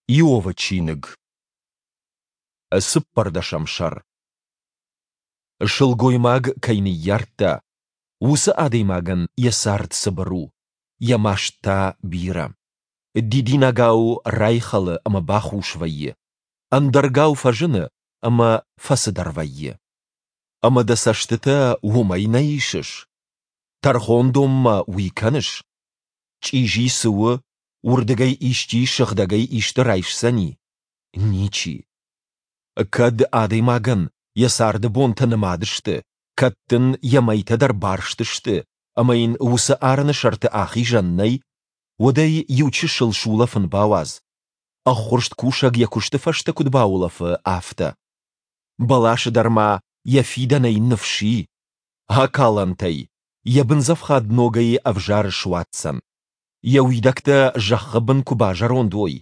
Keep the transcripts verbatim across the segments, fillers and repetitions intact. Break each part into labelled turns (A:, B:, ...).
A: Иовы чиныг, цыппӕрдӕсӕм сӕр. Сылгоймаг кӕй ныййардта, уыцы адӕймагӕн йӕ цард цыбыр у, йӕ маст та бирӕ. Дидинӕгау райхӕлы ӕмӕ бахус вӕййы, ӕндӕргау фӕзыны ӕмӕ фӕцыдӕр вӕййы. Ӕмӕ дӕ цӕстытӕ уымӕй нӕ исыс? Тӕрхондонмӕ уый кӕныс? Чъизи цы у, уырдыгӕй исчи сыгъдӕгӕй исты райсдзӕни? Ничи. Кӕд адӕймагӕн йӕ царды бонтӕ нымад сты, кӕд дын йӕ мӕйтӕ дӕр барст сты ӕмӕ йын уыцы арӕны сӕрты ахизӕн нӕй, уӕд ӕй иу чысыл сулӕфын бауадз, ӕххуырст кусӕг йӕ куысты фӕстӕ куыд баулӕфы, афтӕ. Бӕласы дӕр ма йӕ фидӕнӕй ныфс и, акӕлӕнтӕй, йӕ бындзӕфхад ногӕй ӕвзар суадздзӕн. Йӕ уидӕгтӕ зӕххы бын куы базӕронд уой,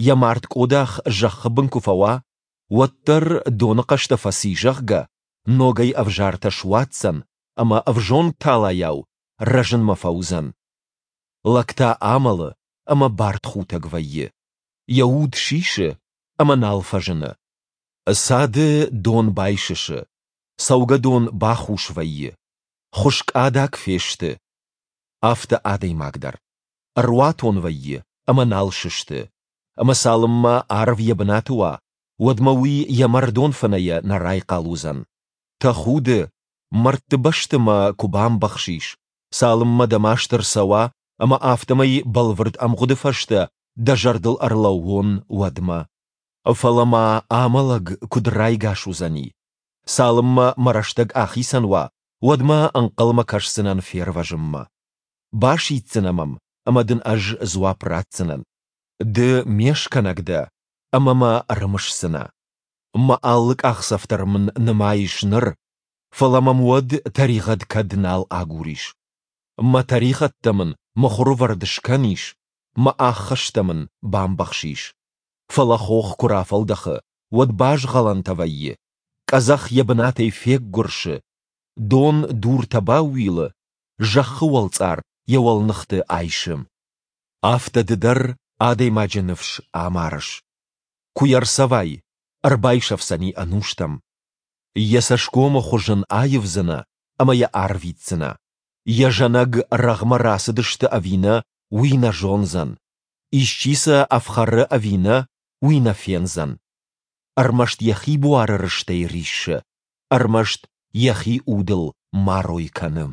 A: йӕ мард къодах зӕххы бын куы фӕуа, уӕддӕр доны хъӕстӕ фӕци, зӕгъгӕ, ногӕй ӕвзартӕ суадздзӕн ӕмӕ ӕвзонг талайау рӕзынмӕ фӕуыдзӕн. Лӕг та амӕлы ӕмӕ бартхутӕг вӕййы. Йӕ уд сисы ӕмӕ нал фӕзыны. Цады дон байсысы, цӕугӕдон бахус вӕййы, хуыскъ адаг фесты. Афтӕ адӕймаг дӕр. Ӕруатон вӕййы ӕмӕ нал сысты. Ӕмӕ цалынмӕ арв йӕ бынаты уа, уӕдмӕ уый йӕ мӕрдон фынӕйӕ нӕ райхъал уыдзӕн. Тӕхуды, мӕрдты бӕсты мӕ куы бамбӕхсис, цалынмӕ дӕ маст ӕрцӕуа ӕмӕ афтӕмӕй бӕлвырд ӕмгъуыды фӕстӕ дӕ зӕрдыл ӕрлӕууон, уӕдмӕ. Фӕлӕ ма амӕлӕг куыд райгас уыдзӕни? Цалынмӕ мӕ рӕстӕг ахицӕн уа, уӕдмӕ ӕнхъӕлмӕ кӕсдзынӕн фервӕзынмӕ. Басиддзынӕ мӕм, ӕмӕ дын ӕз дзуапп ратдзынӕн. Ды ме скӕнӕг дӕ, ӕмӕ мӕ ӕрымысдзынӕ. Мӕ алы къахдзӕф дӕр мын нымайыс ныр, фӕлӕ мӕм уӕд тӕригъӕд кӕд нал агурис. Мӕ тӕригъӕдтӕ мын мыхуырвӕрд скӕнис, мӕ ӕххӕстӕ мын бамбӕхсис. Фӕлӕ хох куы рафӕлдӕхы, уӕд базгъӕлӕнтӕ вӕййы, къӕдзӕх йӕ бынатӕй феггуырсы, дон дуртӕ баууилы, зӕххы уӕлцъар йӕ уӕлныхты айсы. Афтӕ ды дӕр адӕймаджы ныфс амарыс. Куы йӕ рцӕвай, ӕрбайсӕфдзӕни ӕнустӕм. Йӕ цӕсгомы хуыз ын аивдзынӕ ӕмӕ йӕ арвитдзынӕ. Йӕ зӕнӕг рӕгъмӕ рацыдысты ӕви нӕ, уый нӕ зондзӕн. Исчи сӕ ӕфхӕры ӕви нӕ, уый нӕ фендзӕн. Ӕрмӕст йӕхи буары рыстӕй риссы, ӕрмӕст йӕхи удыл марой кӕны.